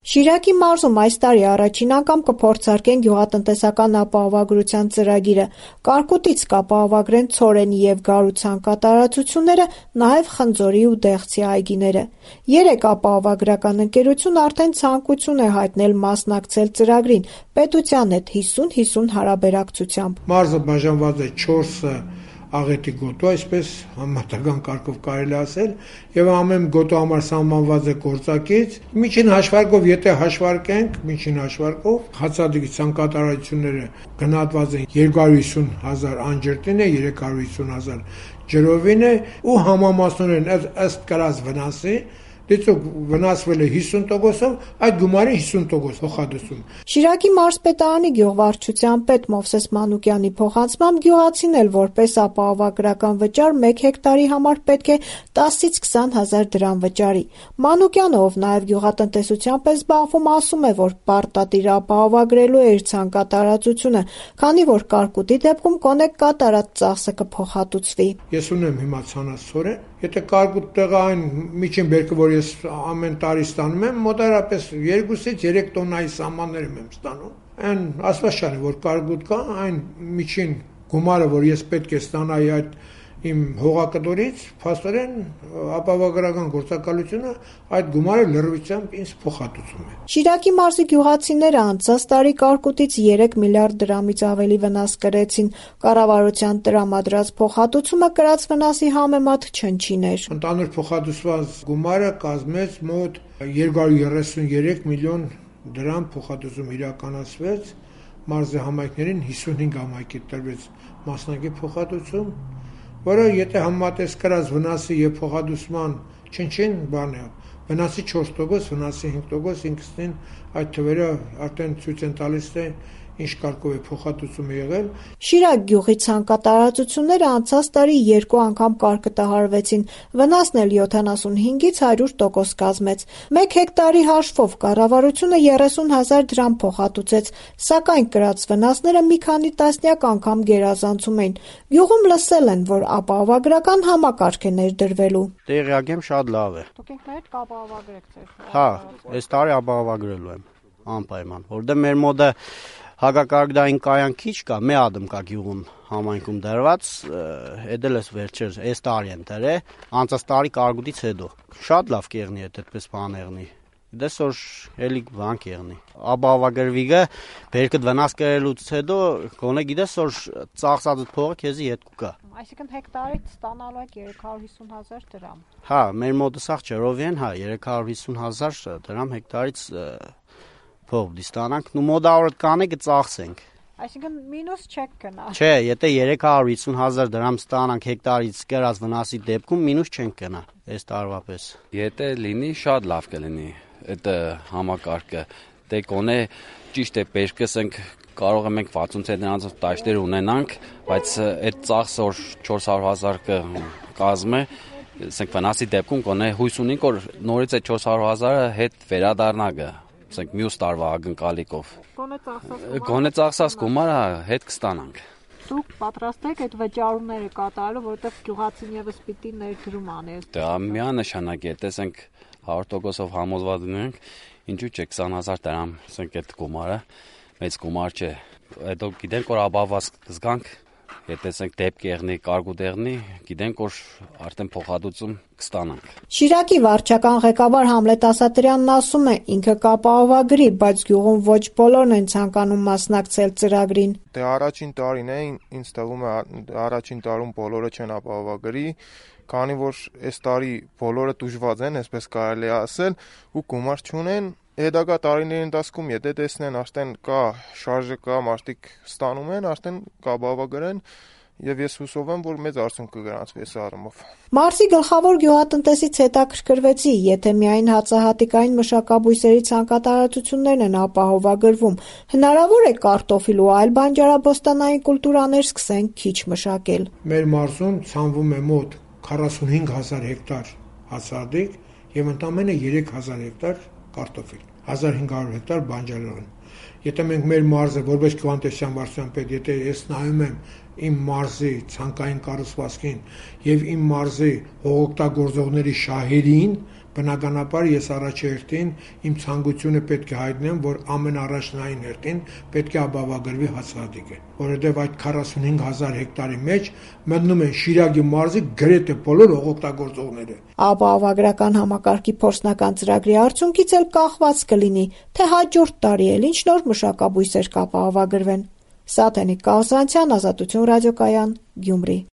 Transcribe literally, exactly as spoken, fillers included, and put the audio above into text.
Շիրակի մարզում այս տարի առաջին անգամ կփորձարկեն գյուղատնտեսական ապահովագրության ծրագիրը, կարկուտից կապահովագրեն ցորենի և գարու ցանկատարածությունները, նաև խնձորի ու դեղցի այգիները։ Երեք ապահովագրական ընկերություն արդեն ցանկություն է հայտնել մասնակցել ծրագրին պետության հետ հիսուն հիսուն հարաբերակցությամբ։ Մարզը բաժանված է չորս աղետի գոտու, այսպես համատական կարգով կարելի ասել, եւ ամեն գոտու համար սահմանված է գործակից։ Միջին հաշվարկով, եթե հաշվարկենք, միջին հաշվարկով հացադիկի ցանկատարությունները գնահատված են երկու հարյուր հիսուն հազար անջրտին է, երեք հարյուր հիսուն հազար ջրովին է ու համամասնորեն ըստ կրած վնասի դիցուկ վնասվել է հիսուն տոկոսով, այդ գումարի հիսուն տոկոս փոխհատուցում։ Շիրակի մարզպետարանի գյուղվարչության պետ Մովսես Մանուկյանի փոխանցմամբ գյուղացին էլ որպես ապահովագրական վճար մեկ հեկտարի համար պետք է տասից քսան հազար դրամ վճարի։ Մանուկյանը, ով նաև գյուղատնտեսությամբ է զբաղվում, ասում է, որ պարտադիր ապահովագրելու է իր ցանկատարածությունը, քանի որ կարկուտի դեպքում կոնե կատարած ծախսը կփոխհատուցվի։ Ես ունեմ հիմա ցանասորեն, եթե կարկուտ տեղը այն միջին բերքը, որ ես ամեն տարի ստանում եմ, մոտարապես երկուսից երեք տոննայի սահմաններ եմ ստանում։ Այն ասված չէ, որ կարկուտ կա, այն միջին գումարը, որ ես պետք է ստանայի այդ իմ հողակտորից, փաստորեն ապահովագրական գործակալությունը այդ գումարը լրիվությամբ ինձ փոխհատուցում է։ Շիրակի մարզի գյուղացիները անցած տարի կարկուտից երեք միլիարդ դրամից ավելի վնաս կրեցին։ Կառավարության տրամադրած փոխհատուցումը կրած վնասի համեմատ չնչին էր։ Ընդհանուր փոխհատուցված գումարը կազմեց մոտ երկու հարյուր երեսունյերեք միլիոն դրամ փոխհատուցում իրականացվեց, մարզի համայնքներին հիսունհինգ համայնքի տրվեց մասնակի փոխհատուցում, որը եթե համեմատես կրած վնասի եւ փոխհատուցման չնչին բան է, վնասի չորս տոկոս, վնասի հինգ տոկոս, ինքնին այդ թվերը արդեն ցույց են տալիս, թե ինչ կարգով է փոխհատուցումը եղել։ Շիրակ գյուղի ցանկատարածությունները անցած տարի երկու անգամ կարկտահարվեցին, վնասն էլ յոթանասունհինգից հարյուր տոկոս կազմեց։ Մեկ հեկտարի հաշվով կառավարությունը երեսուն հազար դրամ փոխհատուցեց, սակայն կրած վնասները մի քանի տասնյակ անգամ գերազանցում էին։ Գյուղում լսել են, որ ապահովագրական համակարգ է ներդրվելու։ Տեղյակ եմ, շատ լավ է։ Դուք ինքներդ կապահովագրեք ձեր։ Հա, այս տարի ապահովագրելու եմ անպայման, որտեղ մեր մոտ հակակարգդային կայան քիչ կա, մի ադմ կա գյուղում համայնքում դրված, էդել էս վերջերս, այս տարի են դրե, անցած տարի կարկուտից հետո։ Շատ լավ կեղնի է այդպես բան եղնի։ Դες որ էլի բան կեղնի։ Ապահովագրվիգը բերքդ վնաս կրելուց հետո գոնե գիտես որ ծախսած փողը քեզի հետ կգա։ Այսինքն հեկտարից ստանալու եք երեք հարյուր հիսուն հազար դրամ։ Հա, մեր մոտը սաղ ջրովին, հա, երեք հարյուր հիսուն հազար դրամ հեկտարից փող դիստանանք, ու մոդավորդ կանե կծախսենք։ Այսինքն մինուս չեք գնա։ Չէ, եթե երեք հարյուր հիսուն հազար դրամ ստանանք հեկտարից կրած վնասի դեպքում մինուս չենք գնա, այս տարվա պես։ Եթե լինի, շատ լավ կլինի այդ համակարգը։ Դե կոնե ճիշտ է, բերքսենք կարող ենք վաթսուն ցենտրանոցով տաշտեր ունենանք, բայց այդ ծախսը որ չորս հարյուր հազար կազմե, ասենք վնասի դեպքում կոնե հույս ունենք որ նորից այդ չորս հարյուր հազարը հետ վերադառնա գա, ասենք մյուս տարվա ակնկալիքով։ Գոնե ծախսած Գոնե ծախսած գումարը հետ կստանանք։ Դուք պատրաստ եք այդ վճարումները կատարելու, որովհետև գյուղացին եւս պիտի ներդրում անել։ Դա միանշանակ է, տեսենք հարյուր տոկոսով համոզված ունենք, ինչու՞ չէ քսան հազար դրամ, ասենք այդ գումարը մեծ գումար չէ։ Հետո գիտենք որ ապահովված կզգանք, եթե տեսենք դեպք եղնի, կարկուտ եղնի, գիտենք որ արդեն փոխհատուցում կստանանք։ Շիրակի վարչական ղեկավար Համլետ Ասատրյանն ասում է, ինքը կապահովագրի, բայց գյուղում ոչ բոլորն են ցանկանում մասնակցել ծրագրին։ Դե առաջին տարին է, ինձ թվում է առաջին տարում բոլորը չեն ապահովագրի, քանի որ այս տարի բոլորը տուժված են, այսպես կարելի է ասել, ու գումար չունեն։ Հետագա տարիների ընթացքում եթե տեսնեն արդեն կա շարժը կա, մարդիկ ստանում են, արդեն կապահովագրեն եւ ես հուսով եմ, որ մեծ արդյունք կգրանցվի այս առումով։ Մարզի գլխավոր գյուղատնտեսից հետաքրքրվեցի, եթե միայն հացահատիկային մշակաբույսերի ցանկատարածություններն են ապահովագրվում, հնարավոր է կարտոֆիլ ու այլ բանջարաբոստանային կուլտուրաներ սկսեն քիչ մշակել։ Մեր մարզում ցանվում է մոտ քառասունհինգ հազար հեկտար հացահատիկ եւ ընդամենը երեք հազար հեկտար կարտոֆիլ, հազար հինգ հարյուր հեկտար բանջարեղեն։ Եթե մենք մեր մարզը որպես քվանտեսիան վարչության պետ, եթե ես նայում եմ իմ մարզի ցանկային կառուցվածքին եւ իմ մարզի հողօգտագործողների շահերին, Բնականաբար ես առաջերտին իմ ցանկությունը պետք է հայտնեմ, որ ամենառաջնային հերթին պետք է ապահովագրվի հացահատիկը, որովհետև այդ քառասունհինգ հազար հեկտարի մեջ մտնում են Շիրակի մարզի գրեթե բոլոր օգտագործողները։ Ապահովագրական համակարգի փորձնական ծրագրի արդյունքից էլ կախված կլինի, թե հաջորդ տարի էլ ինչ նոր մշակաբույսեր կապահովագրվեն։ Սաթենիկ Կաղզանցյան, Ազատություն ռադիոկայան, Գյումրի։